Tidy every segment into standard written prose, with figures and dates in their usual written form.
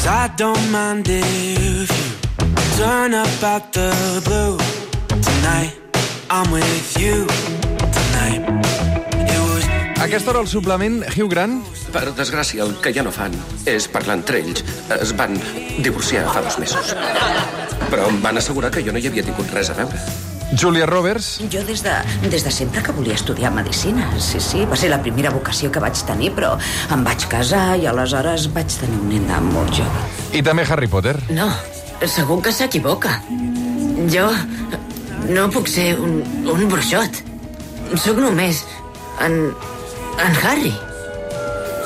'Cause I don't mind if you turn up out the blue. Tonight, I'm with you. Tonight, it was... A aquesta hora el suplement, Hugh Grant. Per desgràcia, el que ja no fan és parlar entre ells. Es van divorciar fa 2 mesos. Però em van assegurar que jo no hi havia tingut res a veure. Julia Roberts. Jo des de sempre que volia estudiar medicina. Sí, va ser la primera vocació que vaig tenir, però em vaig casar i aleshores vaig tenir un nen molt jove. I també Harry Potter. No, segur que s'equivoca. Jo no puc ser un bruixot. Sóc només en Harry.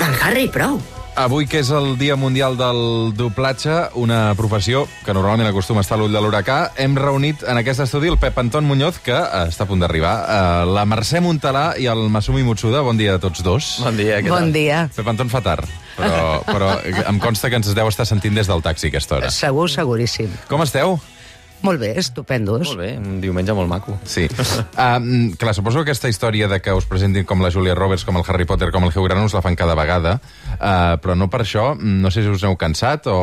En Harry, prou. Avui, que és el Dia Mundial del Doblatge, una professió que normalment acostuma a estar a l'ull de l'huracà, hem reunit en aquest estudi el Pep Anton Muñoz, que està a punt d'arribar, la Mercè Montalà i el Masumi Mutsuda. Bon dia a tots dos. Bon dia, què tal? Bon dia. Pep Anton fa tard, però em consta que ens deu estar sentint des del taxi a aquesta hora. Segur, seguríssim. Com esteu? Molt bé, estupendos. Molt bé, un diumenge molt maco. Sí. Clar, suposo que aquesta història de que us presentin com la Julia Roberts, com el Harry Potter, com el Hugh Grant us la fan cada vegada, però no per això, no sé si us heu cansat o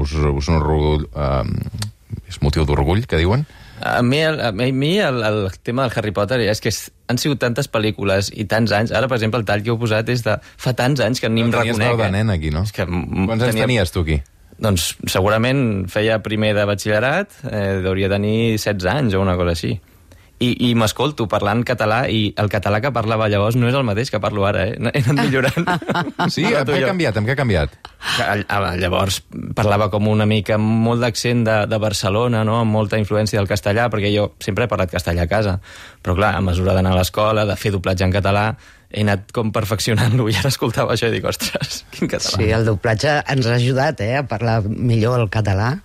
us un orgull... és motiu d'orgull, que diuen? A mi el tema del Harry Potter és que han sigut tantes pel·lícules i tants anys. Ara, per exemple, el tall que heu posat és de fa tants anys que ni em reconec. Tenies de nen aquí, no? És que Quants anys tenies tu aquí? Doncs segurament feia primer de batxillerat, hauria tenir 16 anys o una cosa així. I m'escolto parlant català i el català que parlava llavors no és el mateix que parlo ara, He anat millorant. Sí? Amb què ha canviat? Llavors parlava com una mica amb molt d'accent de Barcelona, no? Amb molta influència del castellà, perquè jo sempre he parlat castellà a casa. Però clar, a mesura d'anar a l'escola, de fer doblatge en català, he anat com perfeccionant-lo i ara escoltava això i dic, ostres, quin català. Sí, el doblatge ens ha ajudat a parlar millor el català.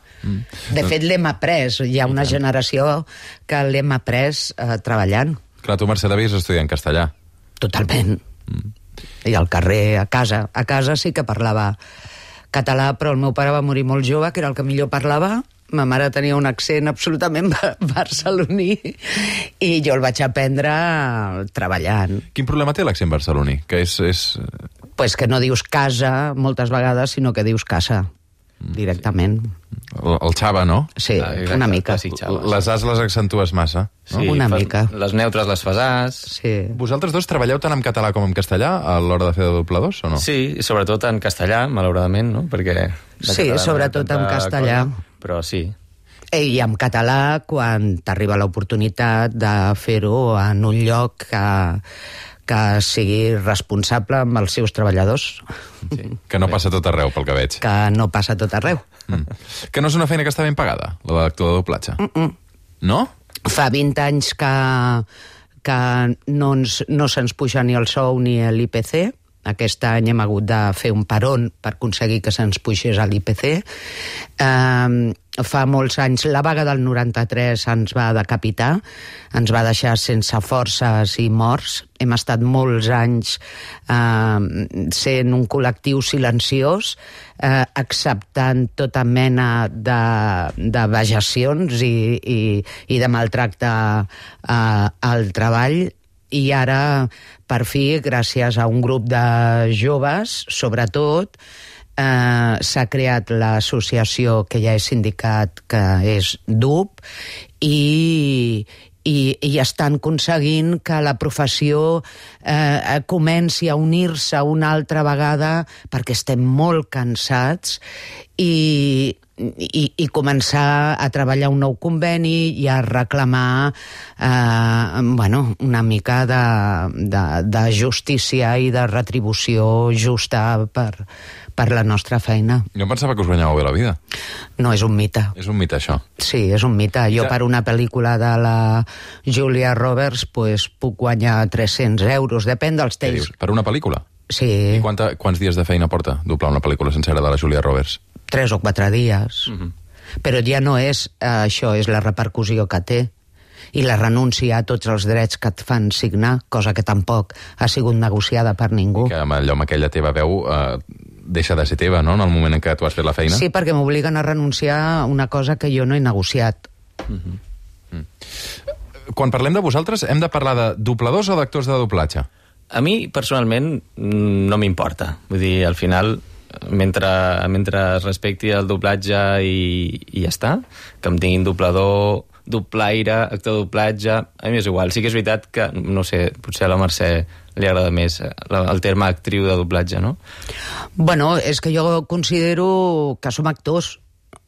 De fet, l'hem après. Hi ha una generació que l'hem après treballant. Clar, tu, Mercè, devies estudiar en castellà. Totalment. I al carrer, a casa. A casa sí que parlava català, però el meu pare va morir molt jove, que era el que millor parlava. Ma mare tenia un accent absolutament barceloní i jo el vaig aprendre treballant. Quin problema té l'accent barceloní? Que Pues que no dius casa moltes vegades, sinó que dius casa, directament. El xava, no? Sí, una mica. Les as les accentues massa, no? Sí, una mica. Les neutres les fas as. Sí. Vosaltres dos treballeu tant en català com en castellà a l'hora de fer de dobladors, o no? Sí, i sobretot en castellà, malauradament, no? Perquè Sí, sobretot en castellà. Però sí. I en català, quan t'arriba l'oportunitat de fer-ho en un lloc que sigui responsable amb els seus treballadors. Sí. Que no passa tot arreu, pel que veig. Que no passa tot arreu. Que no és una feina que està ben pagada, la d'actor de doblatge. No? Fa 20 anys que no se'ns puja ni el sou ni l'IPC. Aquest any hem hagut de fer un peron per aconseguir que se'ns pugés a l'IPC. Fa molts anys, la vaga del 93 ens va decapitar, ens va deixar sense forces i morts. Hem estat molts anys sent un col·lectiu silenciós, acceptant tota mena de vejacions i de maltracte al treball. I ara, per fi, gràcies a un grup de joves, sobretot, s'ha creat l'associació que ja és sindicat, que és DUP, i estan aconseguint que la professió comenci a unir-se una altra vegada, perquè estem molt cansats, i començar a treballar un nou conveni i a reclamar una mica de justícia i de retribució justa per la nostra feina. Jo pensava que us guanyàveu bé la vida. No, és un mite. És un mite, això. Sí, és un mite. Jo per una pel·lícula de la Julia Roberts puc guanyar 300 euros, depèn dels Què temps. dius? Per una pel·lícula? Sí. I quants dies de feina porta doblar una pel·lícula sencera de la Julia Roberts? 3 o 4 dies. Però ja no és això, és la repercussió que té i la renúncia a tots els drets que et fan signar, cosa que tampoc ha sigut negociada per ningú. Que allò amb aquella teva veu deixa de ser teva, no?, en el moment en què tu has fet la feina. Sí, perquè m'obliguen a renunciar a una cosa que jo no he negociat. Quan parlem de vosaltres, hem de parlar de dobladors o d'actors de doblatge? A mi, personalment, no m'importa. Vull dir, al final, mentre es respecti el doblatge i ja està, que em tinguin doblador, doblaire, actor de doblatge, a mi és igual. Sí que és veritat que, no sé, potser a la Mercè li agrada més el terme actriu de doblatge, no? Bueno, és que jo considero que som actors.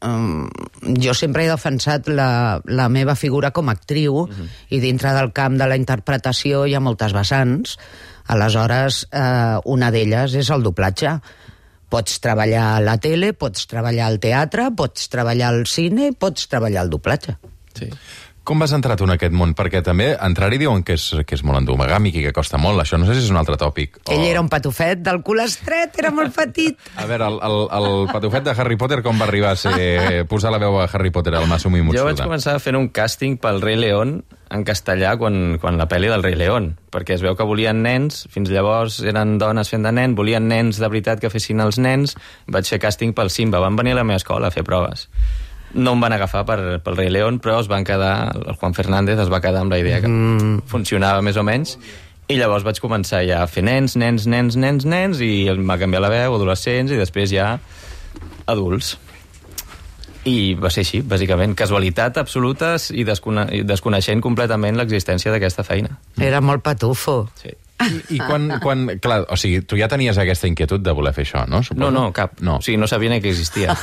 Jo sempre he defensat la meva figura com a actriu i dintre del camp de la interpretació hi ha moltes vessants. Aleshores, una d'elles és el doblatge. Pots treballar a la tele, pots treballar al teatre, pots treballar al cine, pots treballar al doblatge. Sí. Com vas entrar tu en aquest món? Perquè també entrar-hi diuen que és molt endomegàmic i que costa molt. Això no sé si és un altre tòpic. Ell era un patufet del cul estret, era molt petit. A veure, el patufet de Harry Potter com va arribar a posar la veu a Harry Potter al Masumi Mutsuda? Jo vaig començar fent un càsting pel Rei León en castellà quan la pel·li del Rei León, perquè es veu que volien nens, fins llavors eren dones fent de nen, volien nens de veritat que fessin els nens, vaig fer càsting pel Simba, van venir a la meva escola a fer proves. No em van agafar pel Rei León, però es van quedar, el Juan Fernández es va quedar amb la idea que funcionava més o menys, i llavors vaig començar ja a fer nens, i em va canviar la veu, adolescents, i després ja adults. I va ser així, bàsicament. Casualitat absoluta i desconeixent completament l'existència d'aquesta feina. Era molt patufo. Sí. I quan... Clar, o sigui, tu ja tenies aquesta inquietud de voler fer això, no? Suposo? No, cap. No. O sigui, no sabia ni que existia.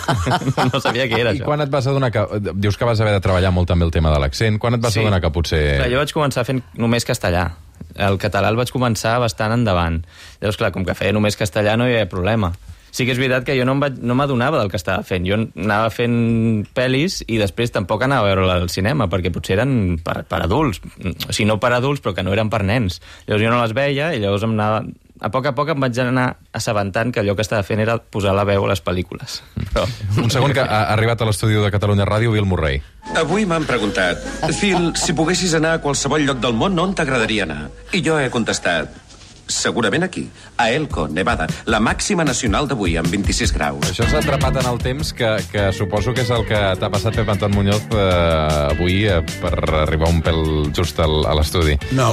No sabia què era, I això. quan et vas adonar que... Dius que vas haver de treballar molt també el tema de l'accent. Quan et vas adonar que potser... Clar, jo vaig començar fent només castellà. El català el vaig començar bastant endavant. Llavors, clar, com que feia només castellà no hi havia problema. Sí que és veritat que jo no m'adonava del que estava fent. Jo anava fent pel·lis i després tampoc anava a veure al cinema, perquè potser eren per adults. O sigui, no per adults, però que no eren per nens. Llavors jo no les veia i llavors em anava... A poc em vaig anar assabentant que allò que estava fent era posar la veu a les pel·lícules. Però... Un segon, que ha arribat a l'estudi de Catalunya Ràdio Bill Murray. Avui m'han preguntat, Phil, si poguessis anar a qualsevol lloc del món, on t'agradaria anar? I jo he contestat, segurament aquí, a Elko, Nevada, la màxima nacional d'avui, amb 26 graus. Això s'ha atrapat en el temps, que suposo que és el que t'ha passat, Pep Anton Muñoz, avui, per arribar un pèl just a l'estudi. No,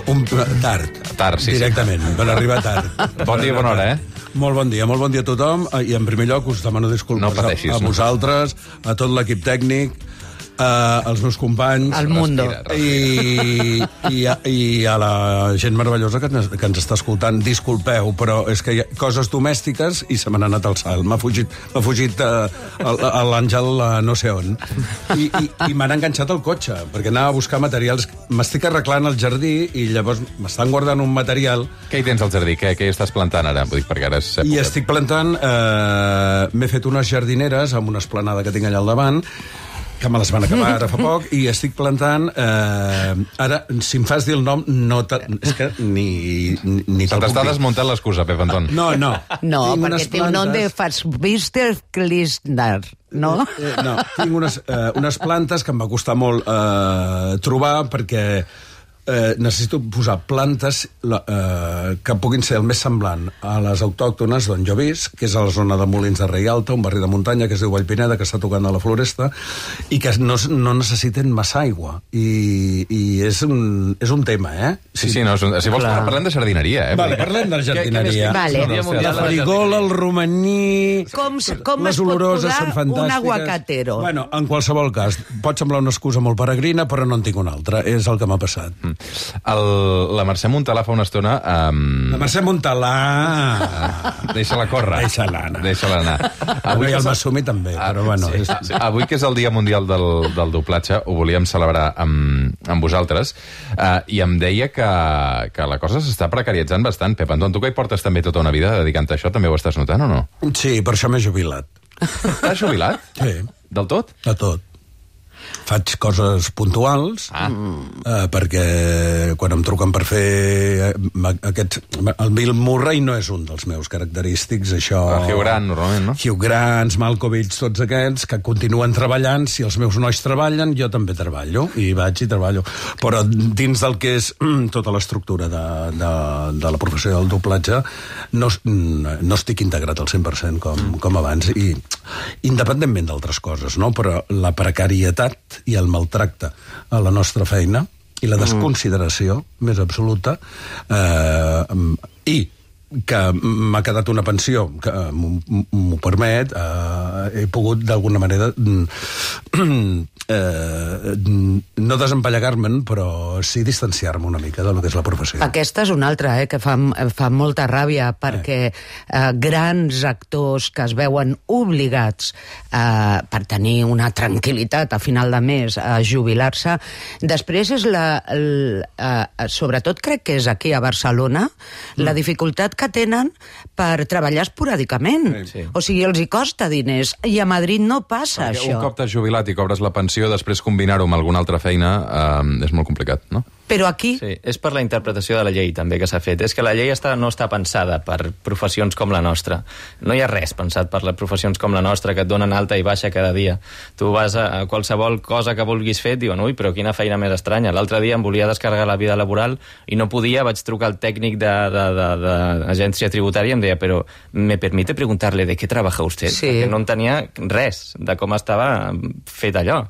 tard. Tard, sí. Directament, per arribar tard. Bon dia, bona hora, Molt bon dia a tothom. I en primer lloc us demano disculpes a vosaltres, a tot l'equip tècnic, als meus companys... Al Mundo. I a la gent meravellosa que ens està escoltant. Disculpeu, però és que hi ha coses domèstiques i se me n'ha anat al salt. M'ha fugit l'Àngel no sé on. I m'han enganxat al cotxe, perquè anava a buscar materials. M'estic arreglant el jardí i llavors m'estan guardant un material. Què hi tens al jardí? Què hi estàs plantant ara? Vull dir, perquè ara és època. I estic plantant... M'he fet unes jardineres amb una esplanada que tinc allà al davant, que me les van acabar ara fa poc, i estic plantant... Ara, si em fas dir el nom, és que ni Se t'està desmuntant l'excusa, Pep Anton. No. No, perquè té un nom de Fassbister Klistner, no? No, tinc unes plantes que em va costar molt trobar, perquè necessito posar plantes que puguin ser el més semblant a les autòctones d'on jo visc, que és a la zona de Molins de Rei Alta, un barri de muntanya que es diu Vallpineda, que està tocant a la Floresta, i que no necessiten massa aigua. I és un tema, Sí, no, si vols parlem de jardineria, Vale, parlem de jardineria. Vale. La farigola, el romaní... Com les es pot oloroses són posar fantàstiques. un aguacatero? Bueno, en qualsevol cas, pot semblar una excusa molt peregrina, però no en tinc una altra. És el que m'ha passat. La Mercè Montalà fa una estona... La Mercè Montalà... Deixa-la córrer. Deixa-la anar. Deixa-la anar. Avui el Masumi també, però bueno... Sí. Avui, que és el Dia Mundial del Doblatge, ho volíem celebrar amb vosaltres, i em deia que la cosa s'està precaritzant bastant. Pep Anton, tu que hi portes també tota una vida dedicant-te a això, també ho estàs notant o no? Sí, per això m'he jubilat. T'has jubilat? Sí. Del tot? De tot. Faig coses puntuals, perquè quan em truquen per fer aquests... El Bill Murray no és un dels meus característics, això... Hugh Grant, normalment, no? Hugh Grant, Malkovich, tots aquests que continuen treballant. Si els meus nois treballen, jo també treballo, i vaig i treballo. Però dins del que és tota l'estructura de la professió del doblatge, no estic integrat al 100% com abans, i independentment d'altres coses, no? Però la precarietat i el maltracte a la nostra feina i la desconsideració més absoluta i que m'ha quedat una pensió que m'ho permet, he pogut d'alguna manera no desempallegar-me'n, però sí distanciar-me una mica del que és la professió. Aquesta és una altra, que fa molta ràbia, perquè grans actors que es veuen obligats per tenir una tranquil·litat a final de mes a jubilar-se, després és sobretot crec que és aquí a Barcelona, la dificultat que tenen per treballar esporàdicament. Sí. O sigui, els hi costa diners, i a Madrid no passa Perquè això. un cop t'has jubilat i cobres la pensió, després combinar-ho amb alguna altra feina és molt complicat, no? Però aquí... Sí, és per la interpretació de la llei també que s'ha fet. És que la llei no està pensada per professions com la nostra. No hi ha res pensat per les professions com la nostra, que et donen alta i baixa cada dia. Tu vas a qualsevol cosa que vulguis fer, et diuen, ui, però quina feina més estranya. L'altre dia em volia descarregar la vida laboral i no podia, vaig trucar al tècnic d'agència tributària i em deia, però ¿me permite preguntarle de qué trabaja usted? Sí. Perquè no entenia res de com estava fet allò.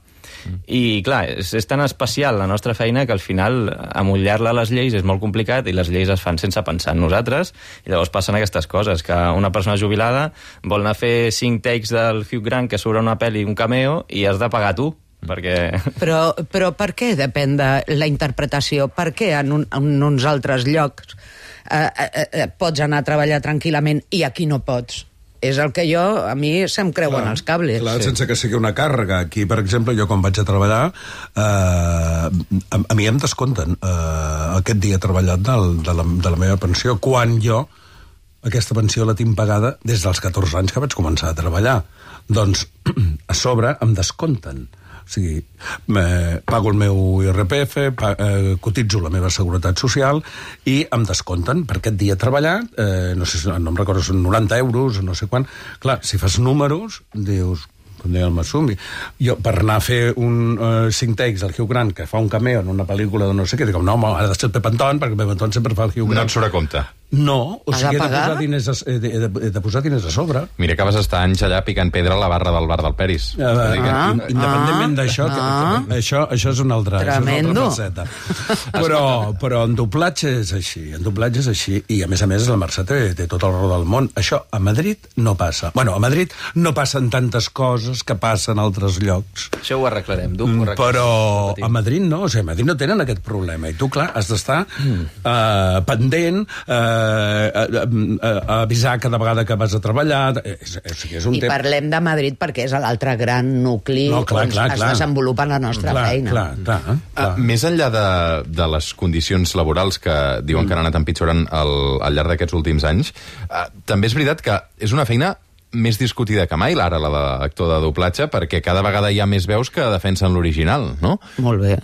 I clar, és tan especial la nostra feina que al final amollar-la a les lleis és molt complicat i les lleis es fan sense pensar en nosaltres i llavors passen aquestes coses, que una persona jubilada vol anar a fer 5 takes del Hugh Grant que surt a una pel·li, un cameo, i has de pagar tu perquè... Però per què depèn de la interpretació? Per què en uns altres llocs pots anar a treballar tranquil·lament i aquí no pots? És el que a mi se'm creuen els cables. Clar, sense que sigui una càrrega. Aquí, per exemple, jo quan vaig a treballar, a mi em descompten aquest dia treballat de la meva pensió, quan jo aquesta pensió la tinc pagada des dels 14 anys que vaig començar a treballar. Doncs, a sobre, em descompten. O sigui, pago el meu IRPF, cotitzo la meva seguretat social i em descompten per aquest dia treballat, no em recordo, són 90 euros, no sé quant. Clar, si fas números, dius, com deia el Massumi, jo per anar a fer 5 takes al Hugh Grant, que fa un cameo en una pel·lícula de no sé què, dic, no, ha de ser el Pep Anton, perquè el Pep Anton sempre fa el Hugh Grant. No et surt a compte. No, o sigui, he de posar diners a sobre. Mira que vas estar anys allà picant pedra a la barra del bar del Peris. Independentment d'això, això és una altra faceta. Però en doblatge és així, i a més la Mercè té tot el raó del món. Això a Madrid no passa. Bueno, a Madrid no passen tantes coses que passen a altres llocs. Això ho arreglarem, però a Madrid no, o sigui, a Madrid no tenen aquest problema, i tu, clar, has d'estar pendent, avisar cada vegada que vas a treballar. I parlem de Madrid perquè és l'altre gran nucli on es desenvolupa la nostra feina. Més enllà de les condicions laborals que diuen que han anat empitjorant al llarg d'aquests últims anys, també és veritat que és una feina més discutida que mai, l'ara, la d'actor de doblatge, perquè cada vegada hi ha més veus que defensen l'original, no? Molt bé.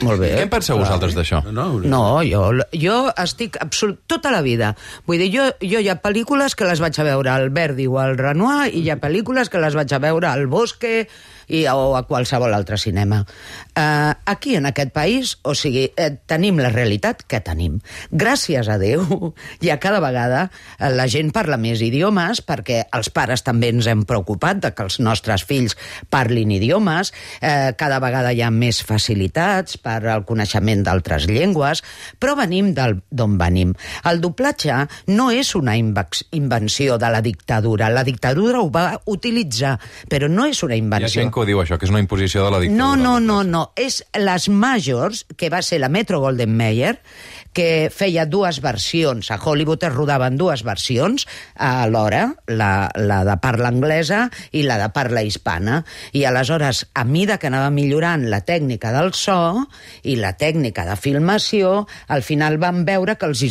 Molt bé. Què en penseu vosaltres d'això? No, jo estic tota la vida. Vull dir, jo hi ha pel·lícules que les vaig a veure al Verdi o al Renoir i hi ha pel·lícules que les vaig a veure al Bosque o a qualsevol altre cinema. Aquí, en aquest país, o sigui, tenim la realitat que tenim. Gràcies a Déu, i a cada vegada la gent parla més idiomes, perquè els pares també ens hem preocupat de que els nostres fills parlin idiomes, cada vegada hi ha més facilitats per al coneixement d'altres llengües, però venim d'on venim. El doblatge no és una invenció de la dictadura. La dictadura ho va utilitzar, però no és una invenció. Hi ha gent que ho diu, això, que és una imposició de la dictadura. No. És les Majors, que va ser la Metro-Goldwyn-Mayer, que feia 2 versions. A Hollywood es rodaven 2 versions alhora, la de parla anglesa i la de parla hispana. I aleshores, a mida que anava millorant la tècnica del so i la tècnica de filmació, al final van veure que els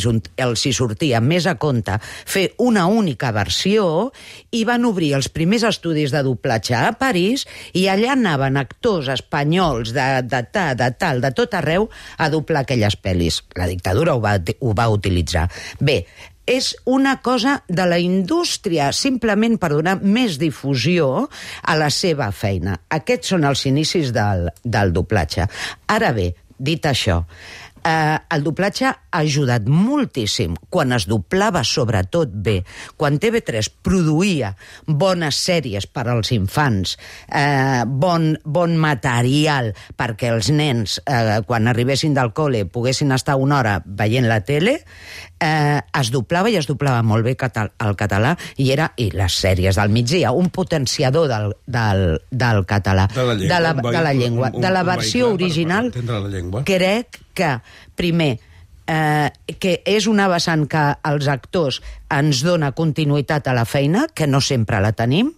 hi sortia més a compte fer una única versió i van obrir els primers estudis de doblatge a París i allà anaven actors espanyols de tot arreu a doblar aquelles pel·lis. La dictadura ho va utilitzar. Bé, és una cosa de la indústria, simplement per donar més difusió a la seva feina. Aquests són els inicis del doblatge. Ara bé, dit això, el doblatge ha ajudat moltíssim quan es doblava sobretot bé, quan TV3 produïa bones sèries per als infants, bon material perquè els nens, quan arribessin del col·le, poguessin estar una hora veient la tele, es doblava i es doblava molt bé el català i les sèries del migdia, un potenciador del català, de la llengua. De la versió original, crec que, primer, que és una vessant que els actors ens dona continuïtat a la feina, que no sempre la tenim,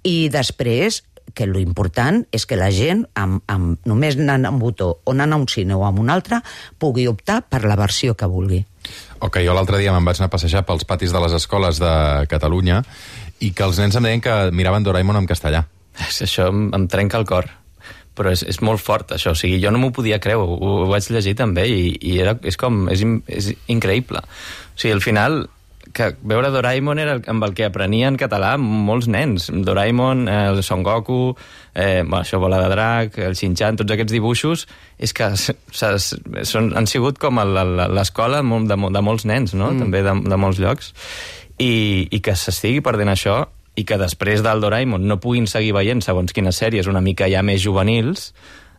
i després que l'important és que la gent, només anant a un botó o anant a un cine o a un altre, pugui optar per la versió que vulgui. Ok, jo l'altre dia me'n vaig anar a passejar pels patis de les escoles de Catalunya i que els nens em deien que miraven Doraemon en castellà. Això em trenca el cor. Però és molt fort, això. O sigui, jo no m'ho podia creure, ho vaig llegir també, i és increïble. O sigui, al final, que veure Doraemon era amb el que aprenien català molts nens. Doraemon, el Son Goku, això, Bola de Drac, el Shin-Chan, tots aquests dibuixos, és que han sigut com l'escola de molts nens, no? També de molts llocs. I que s'estigui perdent això, i que després del Doraemon no puguin seguir veient segons quines sèries una mica ja més juvenils,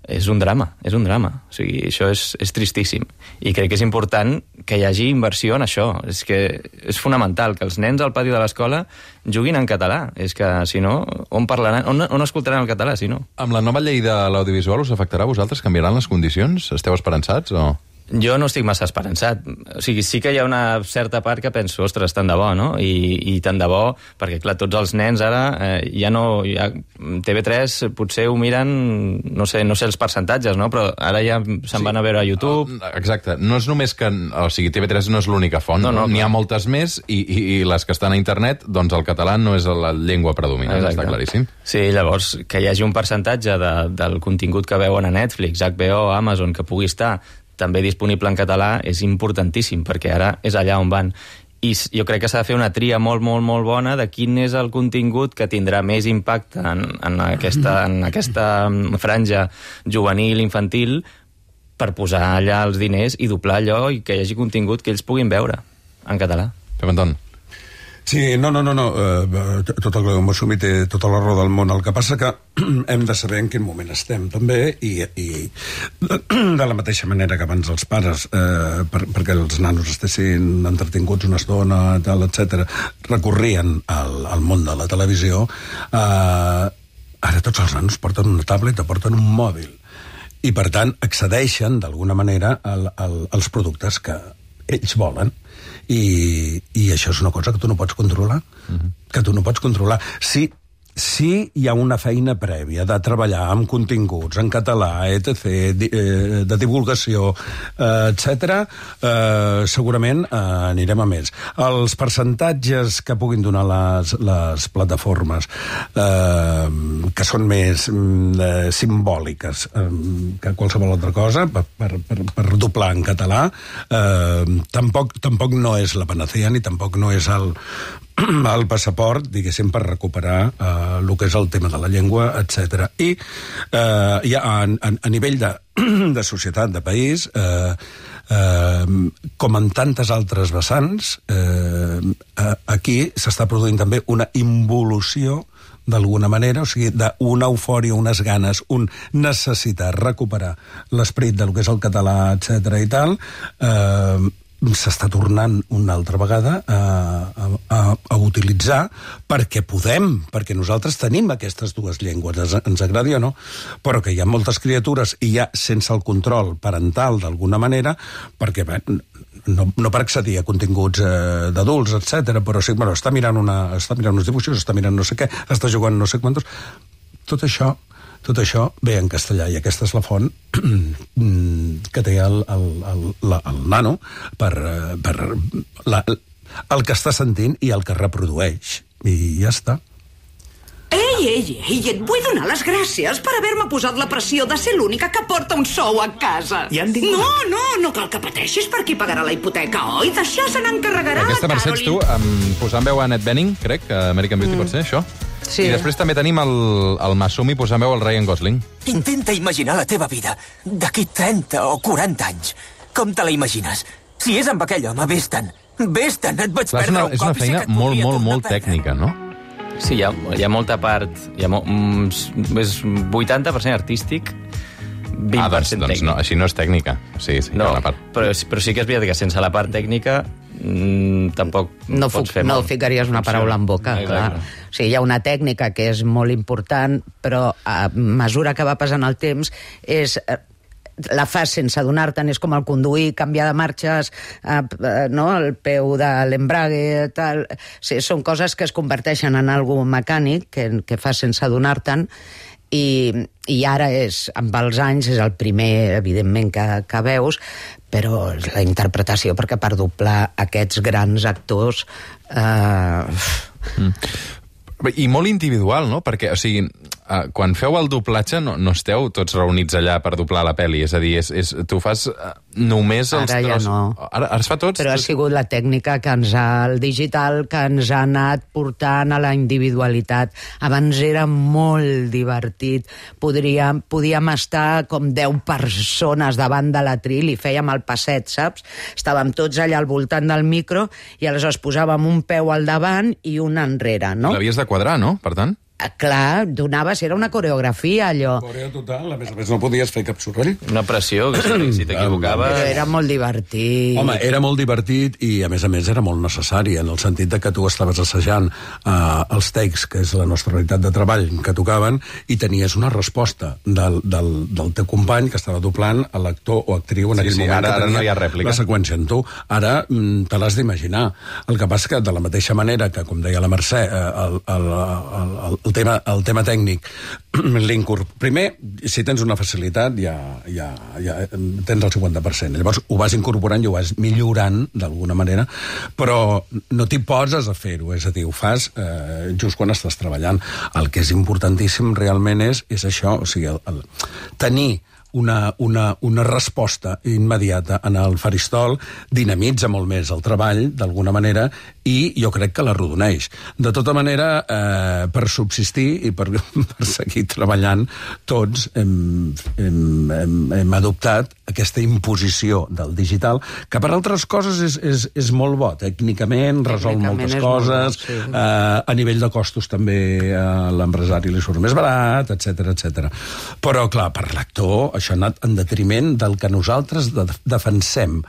és un drama, és un drama. O sigui, això és tristíssim. I crec que és important que hi hagi inversió en això. És que és fonamental que els nens al pati de l'escola juguin en català. És que, si no, on parlaran, on escoltaran el català, si no? Amb la nova llei de l'audiovisual us afectarà a vosaltres? Canviaran les condicions? Esteu esperançats o...? Jo no estic massa esperançat. O sigui, sí que hi ha una certa part que penso, ostres, tant de bo, no? I tant de bo, perquè, clar, tots els nens ara ja no... TV3 potser ho miren, no sé els percentatges, no? Però ara ja se'n van a veure a YouTube. Exacte. No és només que... O sigui, TV3 no és l'única font. N'hi ha moltes més i les que estan a internet, doncs el català no és la llengua predominant, està claríssim. Sí, llavors, que hi hagi un percentatge del contingut que veuen a Netflix, HBO, Amazon, que pugui estar també disponible en català, és importantíssim, perquè ara és allà on van. I jo crec que s'ha de fer una tria molt, molt, molt bona de quin és el contingut que tindrà més impacte en aquesta franja juvenil, infantil, per posar allà els diners i doblar allò i que hi hagi contingut que ells puguin veure en català. Pep Anton. Sí, no. Tot el que hem assumit té tota la raó del món. El que passa que hem de saber en quin moment estem, també, i de la mateixa manera que abans els pares, perquè els nanos estessin entretinguts una estona, tal, etc., recorrien al món de la televisió, ara tots els nanos porten una tablet o porten un mòbil. I, per tant, accedeixen, d'alguna manera, als productes que ells volen. I això és una cosa que tu no pots controlar. Que tu no pots controlar. Sí hi ha una feina prèvia de treballar amb continguts en català, etc., de divulgació, etc., segurament anirem a més. Els percentatges que puguin donar les plataformes, que són més simbòliques que qualsevol altra cosa, per doblar en català, tampoc no és la panacea, ni tampoc no és el passaport, diguéssim, per recuperar el que és el tema de la llengua, etc. I ja a nivell de societat, de país, com en tantes altres vessants, aquí s'està produint també una involució, d'alguna manera, o sigui, d'una eufòria, unes ganes, necessitar recuperar l'esperit del que és el català, etc. i tal, s'està tornant una altra vegada a utilitzar perquè nosaltres tenim aquestes dues llengües, ens agradi o no, però que hi ha moltes criatures i ja sense el control parental d'alguna manera, perquè no per accedir a continguts d'adults, etc., però sí, bueno, està mirant uns dibuixos, està mirant no sé què, està jugant no sé quantos... Tot això ve en castellà, i aquesta és la font que té el nano per el que està sentint i el que reprodueix. I ja està. Ei, et vull donar les gràcies per haver-me posat la pressió de ser l'única que porta un sou a casa. Ja han vingut? No cal que pateixis per qui pagarà la hipoteca, oi? D'això se n'encarregarà Aquesta Mercè ets tu, posant veu a Annette Bening, crec, que American Beauty pot ser, això? Sí. I després també tenim el Masumi posant veu al Ryan Gosling. Intenta imaginar la teva vida d'aquí 30 o 40 anys. Com te la imagines? Si és amb aquell home, vés-te'n. Vés-te'n, et vaig Clar, perdre un és una cop i sé feina que et voldria molt tornar a perdre. tècnica, no? Sí, hi ha molta part... És 80% artístic, 20% doncs tècnic. no, així no és tècnica. Sí, hi ha una part. Però sí que és veritat que sense la part tècnica tampoc No, pots fer no molt. ficaries una paraula en boca, clar. O sigui, hi ha una tècnica que és molt important, però a mesura que va passant el temps la fas sense adonar-te'n, és com el conduir, canviar de marxes, no? El peu de l'embrague, tal. Sí, són coses que es converteixen en algo mecànic, que fas sense adonar-te'n, i ara amb els anys, és el primer, evidentment, que veus, però és la interpretació, perquè per doblar aquests grans actors... I molt individual, no? Perquè, o sigui, quan feu el doblatge no esteu tots reunits allà per doblar la pel·li, és a dir, tu fas només els Ara ja tros... no. Ara es fa tots? Però ha sigut la tècnica el digital que ens ha anat portant a la individualitat. Abans era molt divertit. Podíem estar com 10 persones davant de l'atril i fèiem el passet, saps? Estàvem tots allà al voltant del micro i aleshores posàvem un peu al davant i un enrere, no? L'havies de quadrar, no? Per tant? Clar, era una coreografia, allò. Corea total, a més no podies fer cap soroll. Una pressió, que si t'equivocaves... Però era molt divertit. Home, era molt divertit i, a més era molt necessari, en el sentit de que tu estaves assajant els takes, que és la nostra realitat de treball, que tocaven, i tenies una resposta del teu company que estava doblant a l'actor o actriu en aquell moment. Ara no hi ha rèplica. La seqüència en tu. Ara te l'has d'imaginar. El que passa que, de la mateixa manera que, com deia la Mercè, el tema tècnic, primer, si tens una facilitat, ja tens el 50%. Llavors ho vas incorporant i ho vas millorant d'alguna manera, però no t'hi poses a fer-ho, és a dir, ho fas just quan estàs treballant. El que és importantíssim realment és això, o sigui, tenir una resposta immediata en el faristol dinamitza molt més el treball, d'alguna manera, i jo crec que l'arrodoneix. De tota manera, per subsistir i per seguir treballant, tots hem adoptat aquesta imposició del digital, que per altres coses és molt bo. Tècnicament resol moltes coses, a nivell de costos també a l'empresari li surt més barat, etc. Però, clar, per l'actor, això ha anat en detriment del que nosaltres defensem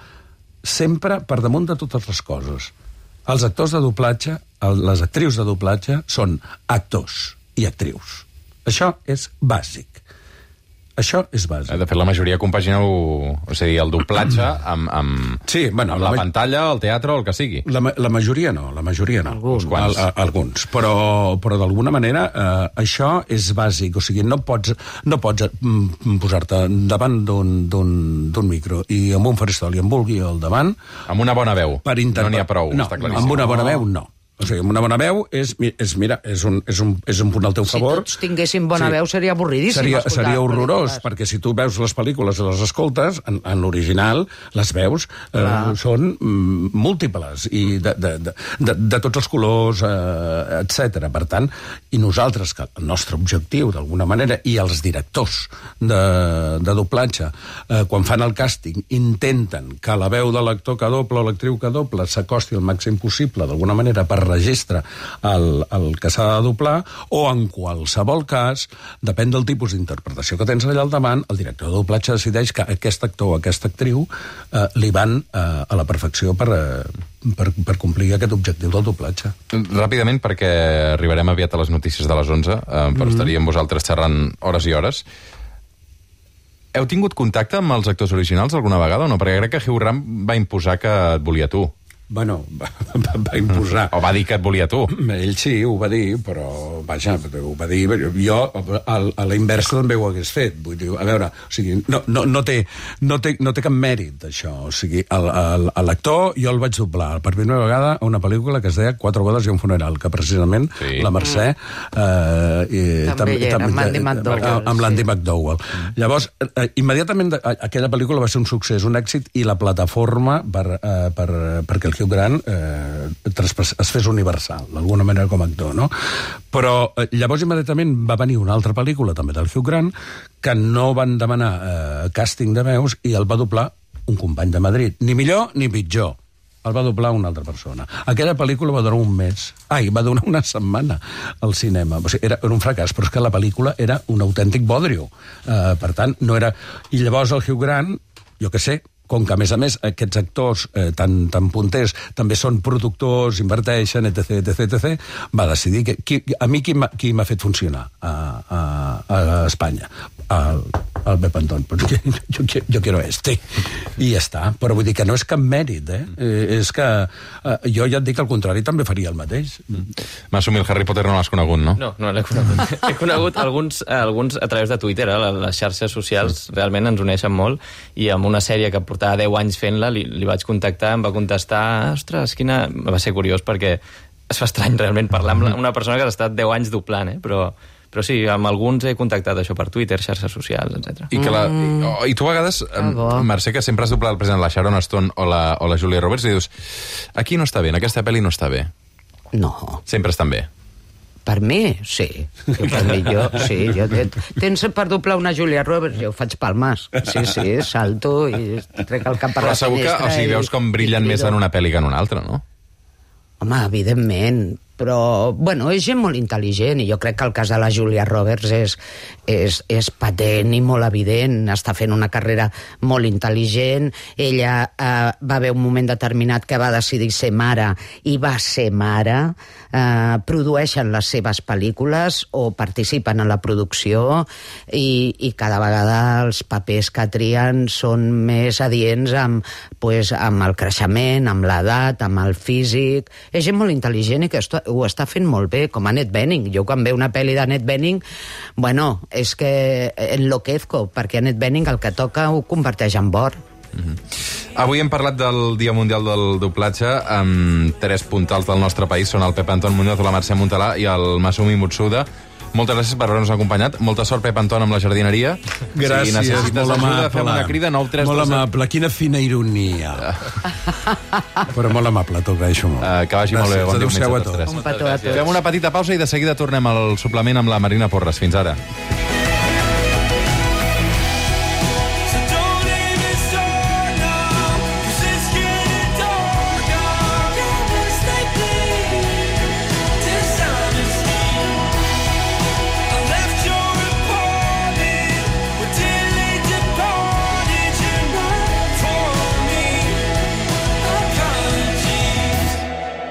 sempre per damunt de totes les coses. Els actors de doblatge, les actrius de doblatge, són actors i actrius. Això és bàsic. Això és bàsic. De fet, la majoria compagineu, o sigui, el doblatge amb la pantalla, el teatre o el que sigui. La majoria no, Alguns. Però d'alguna manera això és bàsic. O sigui, no pots posar-te davant d'un micro i amb un faristol i en vulgui al davant... Amb una bona veu. No n'hi ha prou, està claríssim. Amb una bona veu, no. O sigui, amb una bona veu és un punt al teu favor. Si tots tinguéssim bona veu seria avorridíssim. Seria horrorós, perquè si tu veus les pel·lícules i les escoltes, en l'original, les veus són múltiples i de tots els colors, etc. Per tant, i nosaltres, que el nostre objectiu, d'alguna manera, i els directors de doblatge, quan fan el càsting, intenten que la veu de l'actor que dobla o l'actriu que dobla s'acosti al màxim possible, d'alguna manera, per registre el que s'ha de doblar, o en qualsevol cas, depèn del tipus d'interpretació que tens allà al davant, el director de doblatge decideix que aquest actor o aquesta actriu li van a la perfecció per complir aquest objectiu del doblatge. Ràpidament, perquè arribarem aviat a les notícies de les 11, però estaríem vosaltres xerrant hores i hores. Heu tingut contacte amb els actors originals alguna vegada o no? Perquè crec que Hugh Grant va imposar que et volia tu. Bueno, va imposar. O va dir que et volia tu. Ell sí, ho va dir, però, vaja, ho va dir... Jo, a la inversa, també ho hagués fet. Vull dir, a veure, o sigui, no té cap mèrit, això. O sigui, l'actor jo el vaig doblar per primera vegada a una pel·lícula que es deia 4 bodes i un funeral, que precisament la Mercè... també hi era, amb l'Andy McDowell. Amb l'Andy McDowell. Llavors, immediatament aquella pel·lícula va ser un succés, un èxit, i la plataforma perquè el Hugh Grant es fes universal, d'alguna manera com a actor, no? Però llavors immediatament va venir una altra pel·lícula també del Hugh Grant que no van demanar càsting de veus i el va doblar un company de Madrid. Ni millor ni pitjor. El va doblar una altra persona. Aquella pel·lícula va durar un mes. Va donar una setmana al cinema. O sigui, era un fracàs, però és que la pel·lícula era un autèntic bodrio. Per tant, no era... I llavors el Hugh Grant, jo què sé, com que, a més, aquests actors tan punters també són productors, inverteixen, etc., va decidir que... A mi qui m'ha fet funcionar a Espanya? El Pep Anton. Jo quiero este. I ja està. Però vull dir que no és cap mèrit, És que jo ja et dic que al contrari també faria el mateix. M'assumir el Harry Potter no l'has conegut, no? No l'he conegut. He conegut alguns a través de Twitter, les xarxes socials realment ens uneixen molt, i amb una sèrie que portava 10 anys fent-la, li vaig contactar, em va contestar, ostres, quina... Va ser curiós perquè es fa estrany realment parlar amb una persona que ha estat 10 anys doblant, però sí, amb alguns he contactat això per Twitter, xarxes socials, etc. I tu a vegades, Mercè, que sempre has doblat el present la Sharon Stone o la Julia Roberts, i dius, aquí no està bé, en aquesta pel·li no està bé. No. Sempre estan bé. Per mi, sí. Per mi, jo tens per doblar una Julia Roberts, jo ho faig palmes. Sí, salto i trec el cap per la finestra. Però segur que veus com brillen més en una pel·li que en una altra, no? Home, evidentment, però, bueno, és gent molt intel·ligent i jo crec que el cas de la Julia Roberts és patent i molt evident. Està fent una carrera molt intel·ligent. Ella va haver un moment determinat que va decidir ser mare i va ser mare. Produeixen les seves pel·lícules o participen en la producció i cada vegada els papers que trien són més adients amb el creixement, amb l'edat, amb el físic. És gent molt intel·ligent i que ho està fent molt bé, com Annette Bening. Jo quan veu una pel·li d'Annette Bening, bueno, és que enloquezco, perquè Annette Bening el que toca ho converteix en or. Avui hem parlat del Dia Mundial del Doblatge amb 3 puntals del nostre país, són el Pep Anton Muñoz, la Mercè Montalà i el Masumi Mutsuda. Moltes gràcies per haver-nos acompanyat. Molta sort, Pep Anton, amb la jardineria. Gràcies, si necessites molt ajuda, amable. fem una crida, 932... Molt amable, quina fina ironia. Però molt amable, t'ho agraeixo molt. Que vagi molt bé, bon diumenge Adéu-siau a a tots tres. Un petó a tots. Fem una petita pausa i de seguida tornem al suplement amb la Marina Porres. Fins ara.